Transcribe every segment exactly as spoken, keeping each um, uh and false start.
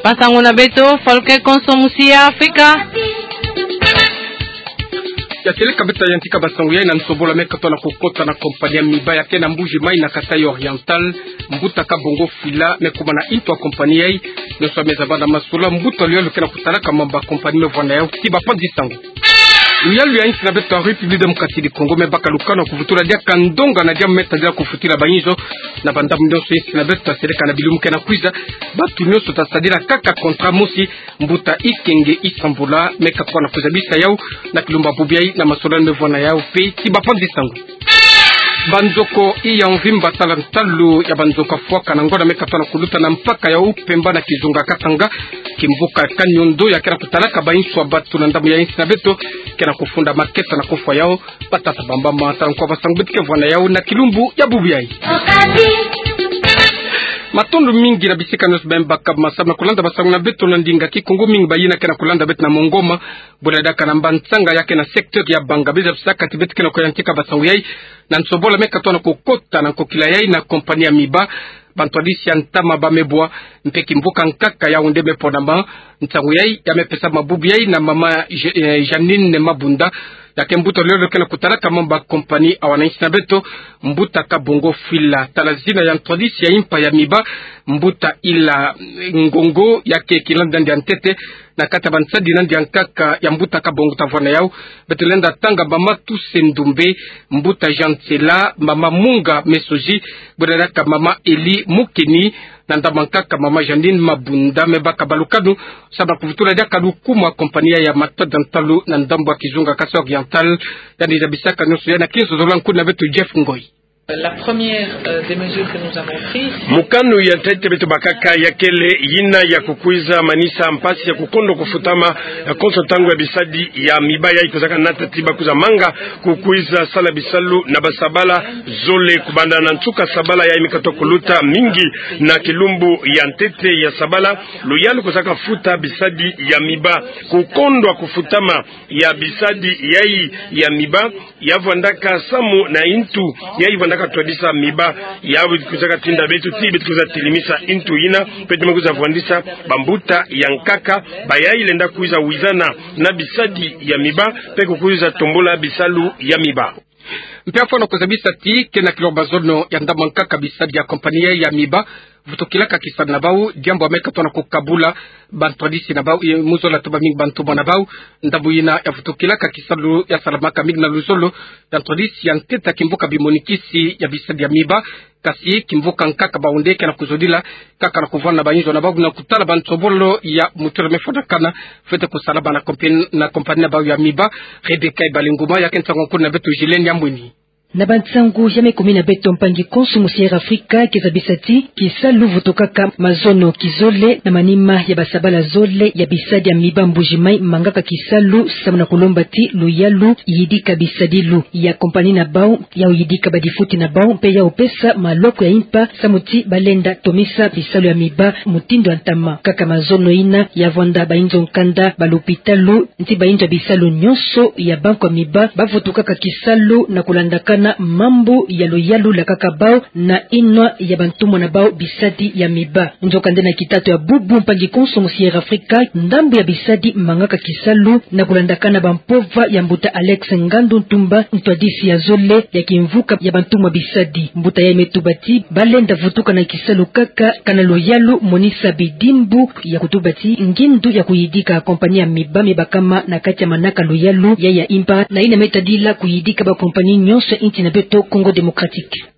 Basangu na beto, Folke Konso Musi ya Afrika. Ya seleka beto ya yantika basangu yai na nsobola me katoa na kukota na kompani ya Miba ya ke na Mbuji Mayi na Kasaï Oriental, mbuta Kabongo Fila me kuma na ntu ya kompani yai. Nionso me zaba na masolo, mbuta luyalu ke na kutalaka mambu ya kompani me vwanda yau. Ti bapanzi sangu. Luyalu ya insi na beto ya République Démocratique du Congo me baka lukanu ya kuvutula diaka ndonga na diambu me tadila kufutila bainzo na bandambu nionso insi na beto, ta seleka na bilumbu ke na kwiza, bantu nionso ta sadila kaka contrat mosi. Mbuta Ikenge Isambula me katoa na kuzabisa yau na kilumbu ya bubu yai na masolo me vwanda yau mpe. Ti bapanzi sangu. Banzoko ya mvimba tala ntalu ya banzoko ya fwaka na ngonda me katoa na kuluta na mpaka ya Upemba na kizunga Katanga. Kimvuka Kaniondo ya ke na kutalaka bainzo ya bantu na ndambu ya insi na beto ke na kufunda makesa na kufwa yau. Batata bamama, tala nkwa basangu beto ke vwanda yau na kilumbu ya bubu yai. Matondo mingi na bisika nionso beno baka masamu na kulanda basangu na beto na ndinga Kikongo, mingi bayina ke na kulanda beto na mongoma. Bwela diaka na mbansanga ya ke na secteur ya Bangabeza bisaka ti beto ke na kuyantika basangu yai na nsobola me katoa na kukota na nkokila yai na kompani ya Miba. Bantwadisi ya ntama ba me bwa, mpe kimvuka nkaka yau nde me ponama. Nsangu yai ya me pesama bubu yai na mama Je-, eh, Jeanine Mabunda, ya ke mbuta luyalu ke na kutalaka mambu ya kompani awa na insi na beto. Mbuta Kabongo Fila, tala zina ya ntwadisi ya impa ya Miba, mbuta Ila Ngongo, ya ke kilandi nandi ya ntete na kati ya bansadi nandi ya nkaka ya mbuta Kabongo ta vwanda yau. Beto lenda tanga mama Toussaint Ndoumbe, mbuta Jean Tsela, mama Munga Mesoji, bwela diaka mama Elie Mukeni, na ndambu ya nkaka mama Jeanine Mabunda. Me baka balukanu samu na kuvutula diaka lukumu ya kompani ya matondo ya ntalu na ndambu ya kizunga Kasaï Oriental. Yandi zabisaka nionso yai na kinso zola nkuna beto Jeff Ngoi. La première, euh, des mesures que nous avons prises. Mokano ya ntete beto bakaka ya kele yina ya kukwiza manisa mpasi ya kukondwa kufutama, eh, konso ntangu ya bisadi ya Miba yai kwizaka nata ti bakwiza manga kukwiza sala bisalu na basabala zole. Kubanda na nsuka sabala yai me katoa kuluta, mingi na kilumbu ya ntete ya sabala, luyalu kwizaka futa bisadi ya Miba. Kukondwa kufutama ya bisadi yai ya Miba ya vwandaka samu na ntu yai vwandaka twadisa Miba. Yau kwizaka tinda beto ti beto kwiza telemisa ntu yina, mpe ti me kwiza vwandisa bambuta ya nkaka bayai lenda kwiza wizana na bisadi ya Miba, mpe kukwiza tombula bisalu ya Miba. Mpe afwana kuzabisa ti ke na kilor bazono ya ndambu ya nkaka bisadi ya kompani ya Miba vutukilaka kisalu na bau, diambu ya me katoa na kukabula bantwadisi na bau, eh, mu zola toma mingi bantumwa na bau. Ndambu yina ya vutukilaka kisalu ya salamaka mingi na luzolo ya ntwadisi ya ntete ya kimvuka bimonikisi ya bisadi ya Miba. Kasi kimvuka nkaka bau nde ke na kuzodila kaka na kuvwanda na bainzo na bau na kutala bansobolo ya mutura me fwanakana fwete kusalama na kompan-, na kompani na bau ya Miba. Rebecca Ibalinguma ya ke nsangu nkuna beto Gilene ya Mwini. Na bansangu ya me kumina beto, mpangi konso musi ya Air Afrika ke zabisa ti kisalu vutukaka mazono kizole na manima ya basabala zole ya bisadi ya Miba Mbuji Mayi mangaka kisalu samu na kulomba ti luyalu yidika bisadilu ya kompani na bau, yau yidika badifuti na bau, mpe yau pesa maloko ya impa samu ti balenda tomisa bisalu ya Miba mutindu ya ntama. Kaka mazono yina ya vwanda bainzo nkanda, balopitalu, nti bainzo ya bisalu nionso ya banko ya Miba bavutukaka kisalu na kulandakana mambu ya luyalu lakaka bau na inwa ya bantumwa na bau bisadi ya Miba. Nzokande na kitatu ya bubu, mpangi konso musi ya Air Afrika, ndambu ya bisadi mangaka kisalu na kulandakana bampova ya mbuta Alex Ngandu Ntumba, ntwadisi ya zole ya kimvuka ya bantumwa bisadi. Mbuta yai me tuba ti balenda vutuka na kisalu kaka kana luyalu monisa bidimbu ya kutuba ti ngindu ya kuyidika kompani ya Miba me bakama na kati ya manaka luyalu yai ya impa, na yina me tadila kuyidika bakompani nionso ya nti na beto Congo Démocratique.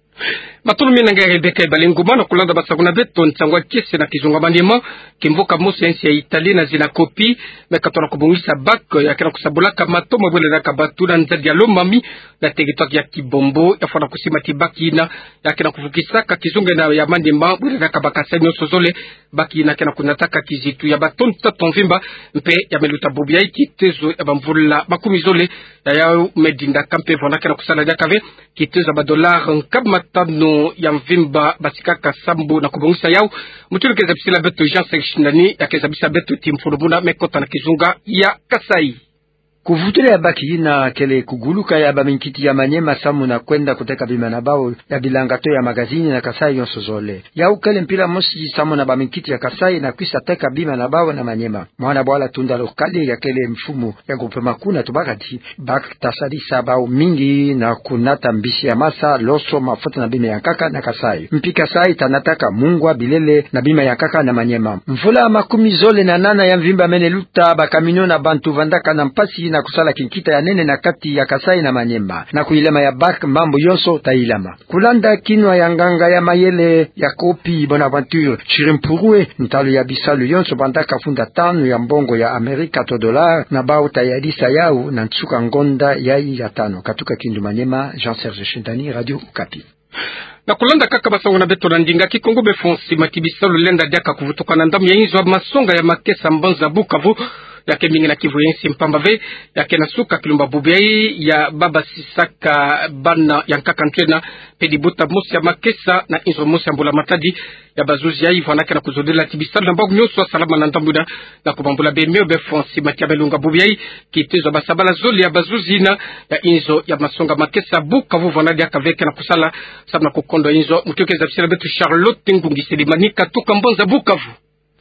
Matondo mingi na nge Rebecca Ibalinguma na kulanda basangu na beto nsangu ya kiese na kizunga manima. Kimvuka mosi ya nsi ya Italie na zina Coppi, me katoa na kubongisa bac ya ke na kusambulaka matomo bwele na kabatu na nzadi ya Lomami, na territoire ya Kibombo, ya fwana kusimbati bac yina ya ke na kuvukisaka kizunga yina ya manima bwele na kabakasa nionso zole. Bac yina ke na kunataka kizitu ya ba tonnes tatu mvimba, mpe ya me luta bubu yai kitezo ya bamvula makumi zole. Ya yau me dindaka mpe vwanda ke na kusala diaka ve kitezo ya ba dollars nkama tanu ya mvimba, basikaka sambu na kubongisa yau. Mutu ke zabisila beto Jean Sextindani, ya ke zabisa beto ti mfulumuna me kota na kizunga ya Kasaï. Kuvutula ya bac yina kele kuguluka ya baminkiti ya Maniema samu na kwenda kuteka bima na bau ya bilanga to ya magazini na Kasaï yonso zole. Yau kele mpila mosi samu na baminkiti ya Kasaï na kwisa teka bima na bau na Maniema. Mwana bwala Tunda Lokale ya kele mfumu ya groupement kuna tubaka ti bac ta sadisa bau mingi na kunata mbisi ya masa, loso, mafuta na bima ya nkaka na Kasaï. Mpi Kasaï ta nataka mungwa, bilele na bima ya nkaka na Maniema. Mvula makumi zole na nana ya mvimba mene luta, ba camion na bantu vandaka na mpasi na kusala kinkita ya nene na kati ya Kasaï na Maniema. Na kuyilama ya bac mambu yonso ta yilama. Kulanda kinwa ya nganga ya mayele ya Kopi Bonaventure Chirimpurue, ntalu ya bisalu yonso bandaka funda tanu ya mbongo ya Amerika to dollar na bau ta yadisa yau na nsuka ngonda yayi ya tanu. Katuka Kindu Maniema, Jean Serge Shindani, Radio Okapi. Na kulanda kaka basango na beto na ndinga Kikongo, befo nsima ti bisalu lenda diaka kuvutuka na ndambu ya inzo ya masonga ya makesa mbanza Bukavu, ya ke mingi na Kivu ya nsi mpamba ve, ya ke na suka kilumbu bubu yayi ya babasisaka bana ya nkaka ntwena, pedi buta mosi ya makesa na inzo mosi ya mbula matadi ya bazuzi yayi vwandaka na kuzodila ti bisalu na mbangu nyonso ya salama na ndambu yina, na kubambula bemio befo nsima ti ya belunga bubu yayi, kitezo ya basabala zole ya bazuzi yina ya inzo ya masonga makesa Bukavu vwanda diaka ve ke na kusala samu na kukondo inzo. Mutu ke zabisila beto Charlotte Ngungi Selemani, katuka mbanza Bukavu.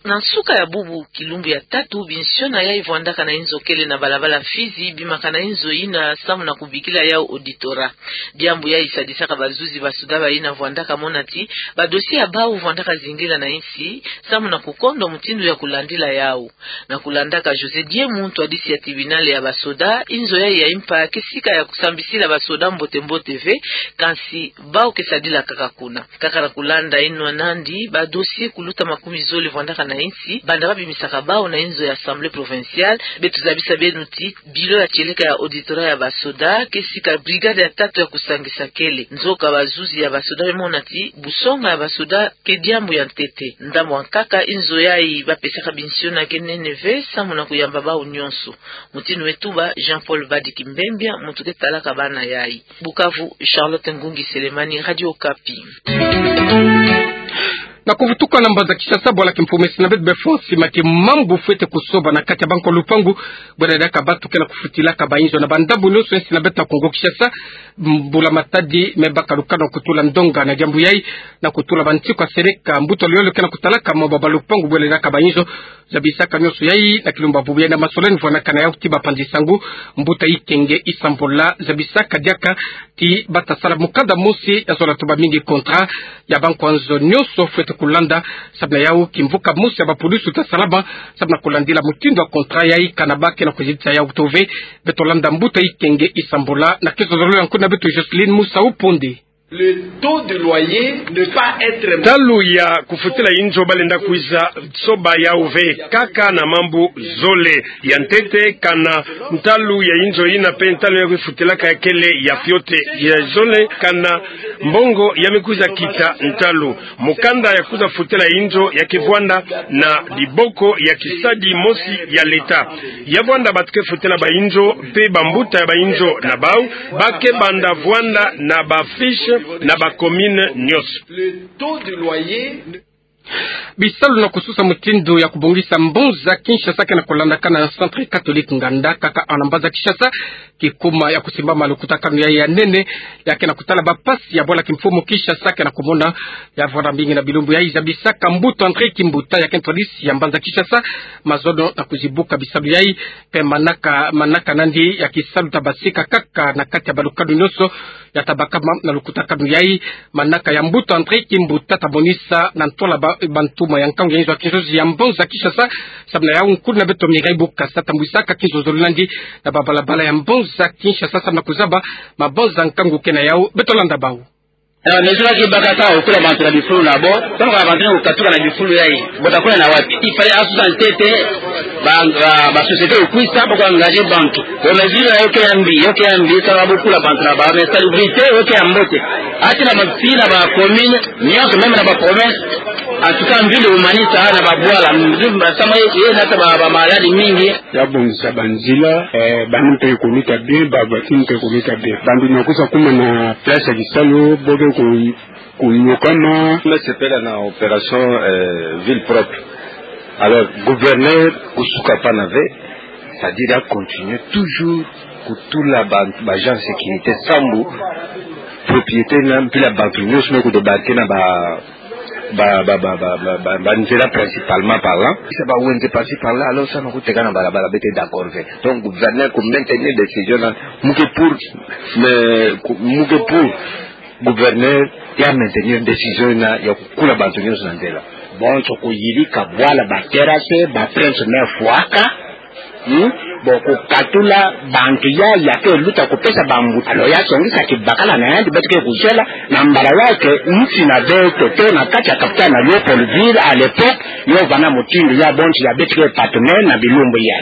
Na nsuka ya bubu kilumbu ya tatu, binsiona yayi vwandaka na inzo kele na balabala Fizi bimaka na inzo yina samu na kubikila yau auditorat. Diambu yayi sadisaka bazuzi basoda bayina vwandaka mona ti badossier ya bau vwandaka zingila na insi samu na kukondo mutindu ya kulandila yau. Na kulandaka José Diemu, ntwadisi ya tribunal ya basoda, inzo yayi ya impa ke sika ya kusambisila basoda mbote mbote ve, kansi bau ke sadila kaka kuna. Kaka na kulanda inwa nandi, badossier kuluta makumi zole vwandaka na insi banda babimisaka bau na inzo ya Assemblée provinciale. Beto zabisa beno ti bilo ya tieleka ya auditorat ya basoda ke sika brigade ya tatu ya kusangisa kele. Nzoka bazuzi ya basoda bamona ti busonga ya basoda ke diambu ya ntete. Ndambu ya nkaka, inzo yayi bapesaka binsiona ke nene ve samu na kuyamba bau nyonso. Mutindu me tuba Jean-Paul Badi Kimbembia, mutu ke talaka bana yayi. Bukavu, Charlotte Ngungi Selemani, Radio Okapi. Na kuvutuka na mbanza Kinshasa, bwala kimfumu mesi na beto befo nsima ti mambu fwete kusoba na kati ya bankwa lupangu, bwela diaka bantu ke na kufutilaka bainzo na bandambu nyonso ya nsi na beto ya Kongo Kinshasa. Mbula matadi me baka lukano kutula ndonga na diambu yayi, na kutula bantiku ya seleka, mbuta luyolo ke na kutalaka mwa baba lupangu bwela diaka bainzo. Zabisaka nyonso yayi na kilumbu bubu yayi na masoleni vwandaka na yau ti bapanzi sangu, mbuta Ikenge Isambola, zabisaka diaka ti bata sala mukanda mosi ya zola tuba mingi contrat ya bankwa nzo nyonso fwete kulanda. Samu na yau kimvuka mosi ya bapulusu ta salama samu na kulandila mutindu ya contrat yayi, kana ba ke na kuzitisa yau to ve. Beto landa mbuta Ikenge Isambola na kizololo ya nkuna beto Jocelyne Musa Uponde. Le taux de loyer ne pas être... Ntalu ya kufutila inzo ba lenda kwiza soba yau ve, kaka na mambu zole. Ya ntete, kana ntalu ya inzo yina pe ntalu ya kufutilaka ya kele ya fioti. Ya zole, kana mbongo ya me kwiza kita ntalu. Mukanda ya kwiza futila inzo ya ke vwanda na diboko ya kisadi mosi ya leta. Ya vwanda bantu ke futila bainzo pe bambuta ya bainzo na bau ba ke banda vwanda na bafiche na bacommune nyonso. Le taux de loyer. Bisalu na kususa mutindu ya kubongisa mbanza Kinshasa ke na kulandakana na Centre Catholique Nganda, kaka na mbanza Kinshasa, kikuma ya kusimbama lukutakanu yayi ya nene, ya ke na kutala bapasi ya bwala kimfumu Kinshasa ke na kumona. Ya vwanda mingi na bilumbu yayi, zabisaka mbuta André Kimbuta, ya ke ntwadisi ya mbanza Kinshasa, mazono na kuzibuka bisalu yayi, pe manaka, manaka nandi ya kisalu ta basika kaka na kati ya balukanu nyonso ya ta bakama na lukutakanu yayi. Manaka ya mbuta André Kimbuta ta monisa na ntwala ba, bantu ma ya nkangu ya inzo ya kinzozi ya mbanza Kinshasa. Samu na yau nkulu na beto Mireille Bukasa tambwisaka kinzonzolo nandi na babalabala ya mbanza Kinshasa samu na kuzaba mabanza nkangu ke na yau. Beto landa bau. Eh, mesure ke baka ta okula bantu na bifulu na bo, ntangu kaka bantu na kukatuka na bifulu yayi, bo ta kwenda na wapi? Il fallait asusa ntete ba, ba, ba société okwisa, ba ku engager bantu. Bo mesure yo ke ya mbi, yo ke ya mbi, sa ba bokula bantu na ba, mais salubrité yo ke ya mbote. Ata na ba ville, na ba commune nyonso, même na ba province, en tout cas, ville humaniste, na ba bwala, mzumba, sama ye, ye nata ba, ba maladi mingi. Ya bongisa banzila, eh, bana mpe kuluta bien, ba voiture mpe kuluta bien. Bantu na kwiza kuma na place ya kisalu, bo ke ku, kunyokama. Me sepela na opération, eh, ville propre. Alors, gouverneur kusuka pana ve. C'est-à-dire ya continuer toujours kutula ba, ba agents de sécurité sambu propriété na mpila bantu nyonso me kudébarquer na ba, ba, ba, ba nzela principalement parlant. Sa ba wenze par-ci par-là, alors sa na kuteka na balabala, beto d'accord ve. Donc gouverneur ku maintenir décision na, mu ke pour, mais ku-, mu ke pour gouverneur ya maintenir décision na ya kukula bantu nyonso na nzela. Bonso kuyirika bwala ba terrasse, ba prince me fwaka, hmm? Bon, kukatula bantu ya, ya ke luta kupesa bambuta. Alors ya songisa kibakala na yandi beto ke kuzela, na mbala ya ke nsi na beto, to na kati ya capitale na Léopoldville, à l'époque, yo vana mutindu ya bonso ya beto ke partenaire na bilumbu ya.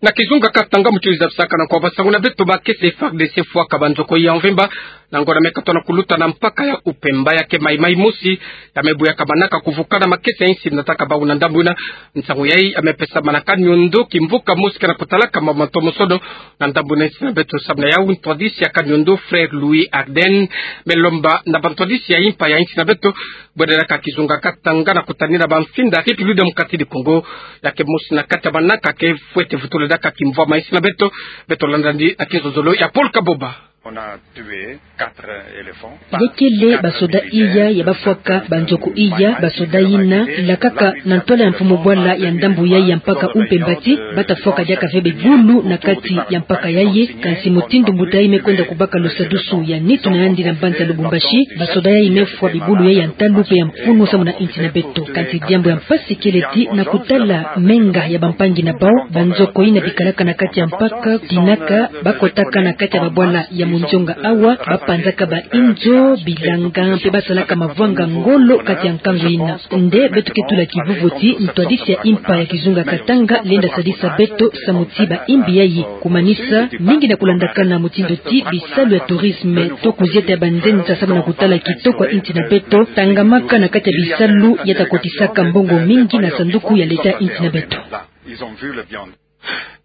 Na kizunga Katanga mu tuzabisaka na kwa basangu na beto, makesa ya F A R D C fwaka banzokoyi ya mvimba na ngonda me katola kuluta na mpaka ya Upemba ya ke maimai mosi, ya me buyaka manaka kuvukana makesa ya insi nataka bau na ndambu ina. Nsangu yayi ya me pesa manaka niondo kimvuka mosi ke na kutalaka mama ntomosono na ndambu na insi na beto. Samu na yau ntwadisi ya kaniondo Frère Louis Ardenne me lomba na bantwadisi ya impa ya insi na beto bwendaka kizunga Katanga na kutanina bamfinda République Démocratique du Congo, ya ke mosi na kati ya manaka ke fwete vutula diaka kimvwama insi na beto. Beto landa ndi na kizozolo ya Paul Kaboba. On a tué quatre éléphants. Yekele basoda iya ya bafwaka banzoko iya, basoda ina lakaka na ntwala ya mfumu bwala ya ndambu yayi ya mpaka Upemba ti bata fwaka diaka ve bibulu na kati ya mpaka yayi. Kansi mutindu mbuta yayi me kwenda kubaka lusadusu ya nitu na yandi na mbanza Lubumbashi, basoda yayi me fwa bibulu yayi ya ntalu mpe ya mfunu samu na insi na beto. Kansi diambu ya mpasi kele ti na kutala menga ya bampangi na bau, banzokoyi ina bikalaka na kati ya mpaka dinaka bakotaka na kati ya babwala ya munzonga awa, bapanzaka bainzo, bilanga, mpe basalaka mavwanga ngolo kati ya nkangu ina. Nde beto ke tula kivuvu ti ntwadisi ya impa ya kizunga Katanga lenda sadisa beto samu ti baimbi yayi kumanisa mingi na kulandakana mutindu ti bisalu ya tourisme to kuzieta ya banzenza samu na kutala kitoko ya insi na beto, tangamaka na kati ya bisalu ya ta kotisaka mbongo mingi na sanduku ya leta ya insi na beto.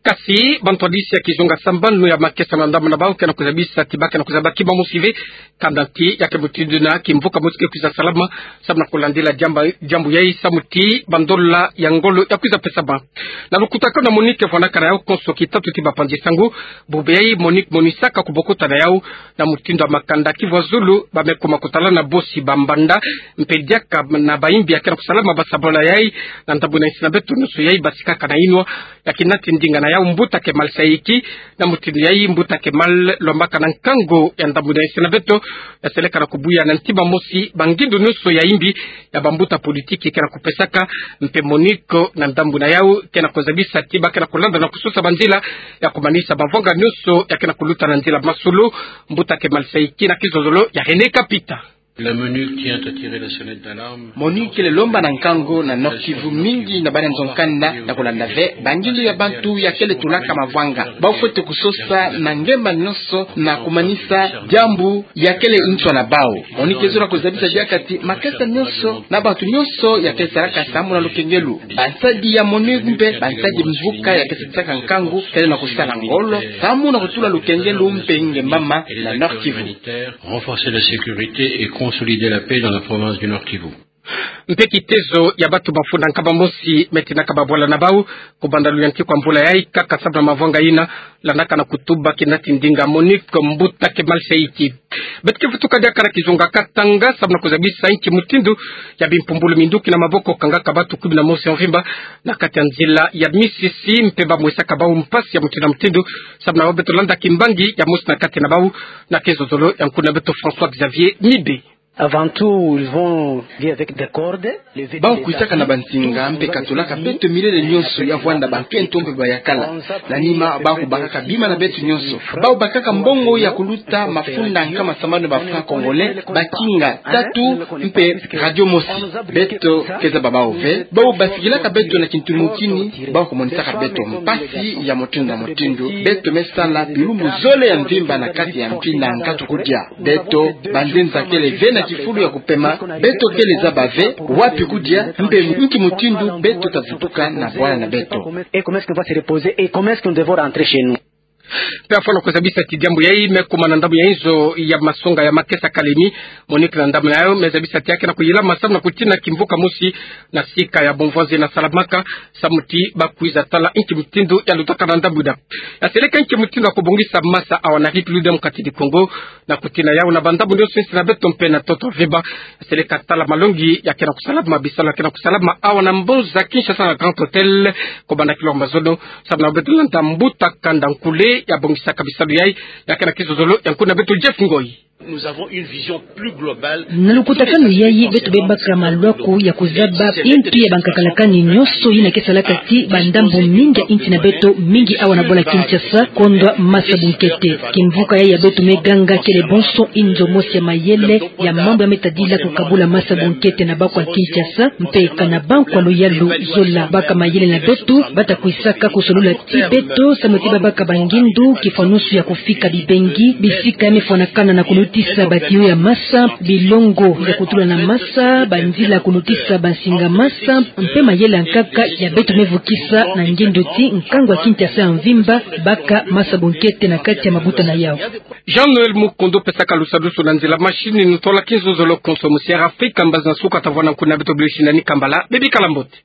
Kasi bantwadisi ya kizunga sambanu ya makesa na ndambu na bau ke na kuzabisa ti ba ke na kuzaba kima mosi ve kanda ti ya ke mutindu na kimvuka mosi ke kwiza salama samu na kulandila diambu, diambu yayi samu ti bandola ya ngolo ya kwiza pesama. Na lukutakanu na MONUC vwandaka na yau konso kitatu ti bapanzi sangu, bubu yayi MONUC monisaka kubokota na yau na mutindu ya makanda kivwazulu ba me kuma kutalana bosi bambanda mpe diaka na baimbi ya ke na kusalama ba sabona yayi na ndambu na insi na beto. Nyonso yayi basikaka na inwa ya ke nati ndinga na yau mbuta Kemal Saïki. Na mutindu yayi mbuta Kemal lombaka na nkangu ya ndambu na insi na beto ya seleka na kubuya na ntima mosi bangindu nyonso ya imbi ya bambuta politiki ke na kupesaka, mpe MONUC na ndambu na yau ke na kuzabisa ti ba ke na kulanda na kusosa banzila ya kumanisa bavwanga nyonso ya ke na kuluta na nzila masolo. Mbuta Kemal Saïki na kizozolo ya René Kapita. La MONUC tient à tirer la sonnette d'alarme. MONUC kele lomba na nkangu na Nord-Kivu mingi na bana nzo-nkanda na kulanda ve bangindu ya bantu ya kele tulaka mavwanga. Bau fwete kusosa na ngemba nyonso na kumanisa diambu ya kele nswa na bau. MONUC ke zola kuzabisa diaka ti makesa nyonso na bantu nyonso ya ke salaka samu na lukengelo, bansadi ya MONUC mpe bansadi mvuka ya ke sadisaka nkangu kele na kusala ngolo samu na kutula lukengelo mpe ngemba mama na Nord-Kivu. Renforcer la sécurité et consolider la paix dans la province du Nord-Kivu. Mpe kitezo ya bantu mafunda nkama mosi me tinaka babwala na bau kubanda luyantiku ya mvula yayi kaka samu na mavwanga ina landaka na kutuba ki nati ndinga MONUC, mbuta Kemal Saïki. Beto ke vutuka diaka na kizunga Katanga samu na kuzabisa inki mutindu ya bimpumbulu minduki na maboko kangaka bantu kumi na mosi ya mvimba na kati ya nzila ya misisi mpe ba mwesaka bau mpasi ya mutindu na mutindu. Samu na bau beto landa kimbangi ya mosi na kati na bau na kizozolo ya nkuna beto François Xavier Mibe. Avant tout, ils vont venir avec des cordes. Bau kwisaka na bansinga mpe katulaka beto milele nyonso ya vwanda bankento mpe bayakala. Na nima bau kubakaka bima na beto nyonso. Bau bakaka mbongo ya kuluta mafunda nkama sambanu ba francs congolais, bakinga tatu mpe radio mosi. Beto ke zaba bau ve. Bau basikilaka beto na kintu mutini, bau kumonisaka beto mpasi ya mutindu na mutindu. Beto me sala bilumbu zole ya mvimba na kati ya mpila nkatu kudia. Beto banzenza kele ve na kifulu ya kupema, beto kele zaba ve wapi kudia mpe inki mutindu beto ta vutuka na bwala na beto. Et comment est-ce qu'on va se reposer et comment est-ce que nous devons rentrer chez nous? Mpe afwana kuzabisa ti diambu yayi me kuma na ndambu ya inzo ya masonga ya makesa Kalemi, Monique na ndambu na yayo me zabisa ti ya ke na kuyilama samu na kutina kimvuka mosi na sika ya bomvonzi na salamaka, samu ti bakwiza tala inki mutindu ya lutaka na ndambu ina. Ya seleka inki mutindu ya kubongisa masa awa na République démocratique du Congo, na kutina yawu na bandambu nionso insi na beto mpe na ntoto veba. Ya seleka tala malongi ya ke na kusalama, bisalu ya ke na kusalama awa na mbonza Kinshasa na Grand Hôtel, kobanda kilomba zono, samu na beto landa mbuta kanda nkule ya bongisaka bisalu yayi, ya ke na kizozolo ya nkuna beto Jeff Ngoi. Nous avons une vision plus globale. Na lukutakanu yayi beto bebaka malwaku ya kuzaba intu ya bankakalakani nionso yina ke salaka ti bandambu mingi ya insi na beto, mingi awa na bwala Kinshasa, kondwa masa bunkete. Kimvuka yayi ya beto me ganga kele bonso inzo mosi ya mayele ya mambu ya me tadila kukabula masa bunkete na bakwa Kinshasa, mpe kana bankwa luyalu zola. Baka mayele na beto bata kwisaka kusolula ti beto samu ti babaka bangindu kifwanusu ya kufika bibengi, bisika ya me fwanakana na kunutisa batiyo ya masa, bilongo ya kutula na masa, banzila kunutisa bansinga masa, mpe mayele ya nkaka ya beto me vukisa na ngindu ti nkangu ya Kinshasa ya mvimba baka masa bunkete na kati ya mabuta na yawu. Jean-Noël Mukondo pesaka lusadusu na nzila machine, nutolaka inzo zolo konso mu Sierra Africa, mbazi na suka tavwana nkuna beto bilusi na ni kambala, bebikala mbote.